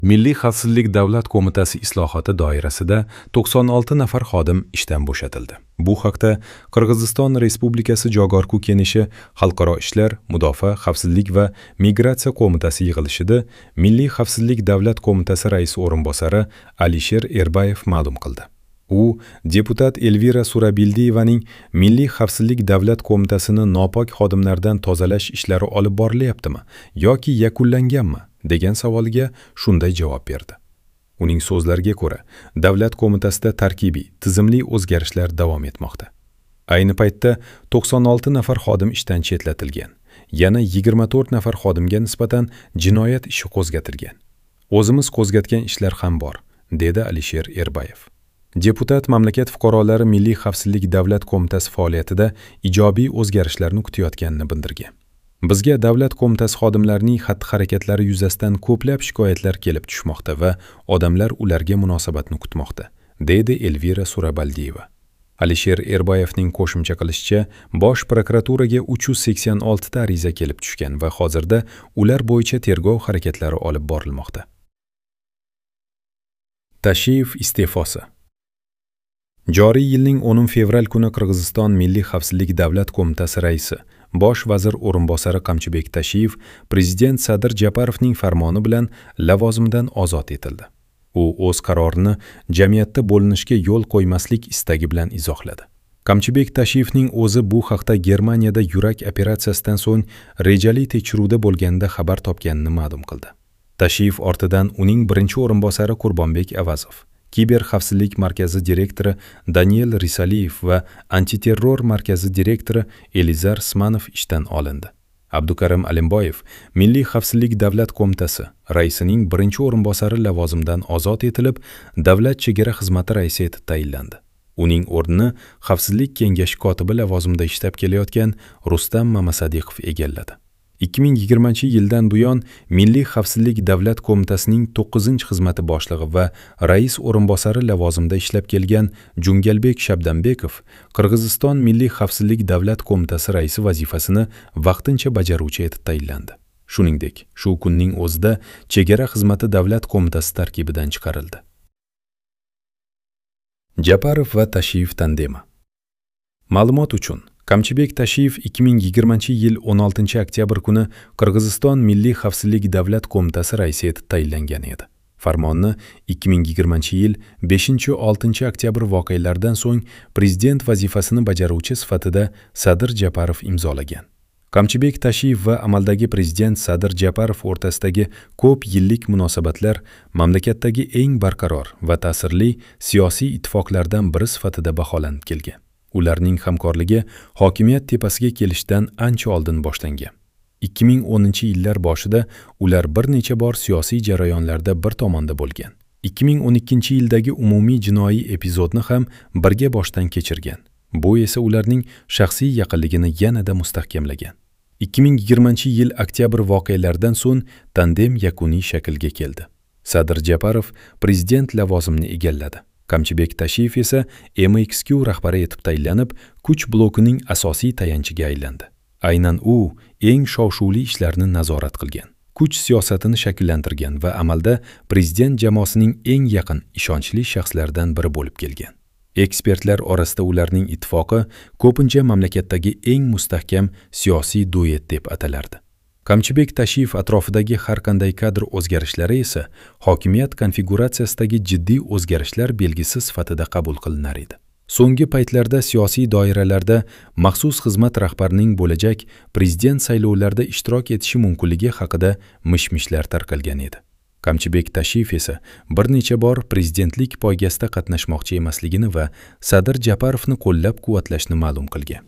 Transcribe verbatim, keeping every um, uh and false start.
Milliy xavfsizlik davlat qo'mitasi islohoti doirasida to'qson olti nafar xodim ishdan bo'shatildi. Bu haqda Qirg'iziston Respublikasi Jogorku Kengashi Xalqaro ishlar, mudofaa, xavfsizlik va migratsiya qo'mitasi yig'ilishida Milliy xavfsizlik davlat qo'mitasi raisi o'rinbosari Alisher Erbayev ma'lum qildi. U deputat Elvira Surabildiyevaning Milliy xavfsizlik davlat qo'mitasini nopok xodimlardan tozalash ishlari olib borilyaptimi yoki yakunlanganmi degan savoliga shunday javob berdi. Uning so'zlariga ko'ra, davlat qo'mitasida tarkibiy, tizimli o'zgarishlar davom etmoqda. Ayni paytda to'qson olti nafar xodim ishdan chetlatilgan, yana yigirma to'rt nafar xodimga nisbatan jinoyat ishi qo'zg'atilgan. O'zimiz qo'zg'atgan ishlar ham bor, dedi Alisher Erbayev. Deputat mamlakat fuqarolari Milliy xavfsizlik davlat qo'mitasi faoliyatida ijobiy o'zgarishlarni kutayotganini bildirgan. Bizga davlat qo'mitasi xodimlarining xatti-harakatlari yuzasidan ko'plab shikoyatlar kelib tushmoqda va odamlar ularga munosabatni kutmoqda, dedi Elvira Surabaldiyeva. Alisher Erbayevning qo'shimcha qilishicha, bosh prokuraturaga uch yuz sakson oltita ariza kelib tushgan va hozirda ular bo'yicha tergov harakatlari olib borilmoqda. Tashiyev iste'fosi. Joriy yilning o'ninchi fevral kuni Qirg'iziston Milliy xavfsizlik davlat qo'mitasi raisi, bosh vazir o'rinbosari Qamchibek Tashiyev prezident Sadir Japarovning farmoni bilan lavozimdan ozod etildi. U o'z qarorini jamiyatda bo'linishga yo'l qo'ymaslik istagi bilan izohladi. Qamchibek Tashiyevning o'zi bu haqda Germaniyada yurak operatsiyasidan so'ng rejali tekshiruvda bo'lganda xabar topganini ma'lum qildi. Tashiyev ortidan uning birinchi o'rinbosari Qurbonbek Avazov, Kiber xavfsizlik markazi direktori Daniel Risaliyev va antiterror markazi direktori Elizar Smanov ishdan olindi. Abdukarim Alimboyev Milliy xavfsizlik davlat qo'mitasi raisining birinchi o'rinbosari lavozimidan ozod etilib, Davlat chegara xizmati raisi etib tayinlandi. Uning o'rnini Xavfsizlik kengashi kotibi lavozimida ishlab kelayotgan Rustam Mamasadiqov egalladi. ikki ming yigirmanchi yildan buyon Milliy xavfsizlik davlat qo'mitasining to'qqizinchi xizmati boshlig'i va rais o'rinbosari lavozimida ishlab kelgan Jungalbek Shabdanbekov Qirg'iziston Milliy xavfsizlik davlat qo'mitasi raisi vazifasini vaqtincha bajaruvchi etib tayinlandi. Shuningdek, shu kunning o'zida Chegara xizmati davlat qo'mitasi tarkibidan chiqarildi. Japarov va Tashiyev tandemi. Ma'lumot uchun, Qamchibek Tashiyev ikki ming yigirmanchi yil o'n oltinchi oktyabr kuni Qirg'iziston Milliy xavfsizlik davlat qo'mitasi raisi etib tayinlangan edi. Farmonni ikki ming yigirmanchi yil beshinchi oltinchi oktyabr voqealaridan so'ng prezident vazifasini bajaruvchi sifatida Sadir Japarov imzolagan. Qamchibek Tashiyev va amaldagi prezident Sadir Japarov o'rtasidagi ko'p yillik munosabatlar mamlakatdagi eng barqaror va ta'sirli siyosiy ittifoqlardan biri sifatida baholanib kelgan. Ularning hamkorligi hokimiyat tepasiga kelishdan ancha oldin boshlangan. ikki ming o'ninchi yillar boshida ular bir necha bor siyosiy jarayonlarda bir tomonda bo'lgan. ikki ming o'n ikkinchi yildagi umumiy jinoiy epizodni ham birga boshdan kechirgan. Bu esa ularning shaxsiy yaqinligini yanada mustahkamlagan. ikki ming yigirmanchi yil oktyabr voqealaridan so'ng tandem yakuniy shaklga keldi. Sadir Japarov prezident lavozimini egalladi. Qamchibek Tashiyev esa M X Q rahbari etib tayinlanib, kuch blokining asosiy tayanchiga aylandi. Aynan u eng shov-shuvli ishlarni nazorat qilgan, kuch siyosatini shakllantirgan va amalda prezident jamoasining eng yaqin, ishonchli shaxslaridan biri bo'lib kelgan. Ekspertlar orasida ularning ittifoqi ko'pincha mamlakatdagi eng mustahkam siyosiy duet deb atalardi. Qamchibek Tashiyev atrofidagi har qanday kadr o'zgarishlari esa hokimiyat konfiguratsiyasidagi jiddiy o'zgarishlar belgisi sifatida qabul qilinar edi. So'nggi paytlarda siyosiy doiralarda maxsus xizmat rahbarining bo'lajak prezident saylovlarida ishtirok etishi mumkinligi haqida mish-mishlar tarqalgan edi. Qamchibek Tashiyev esa bir necha bor prezidentlik poygasida qatnashmoqchi emasligini va Sadir Japarovni qo'llab-quvvatlashni ma'lum qilgan.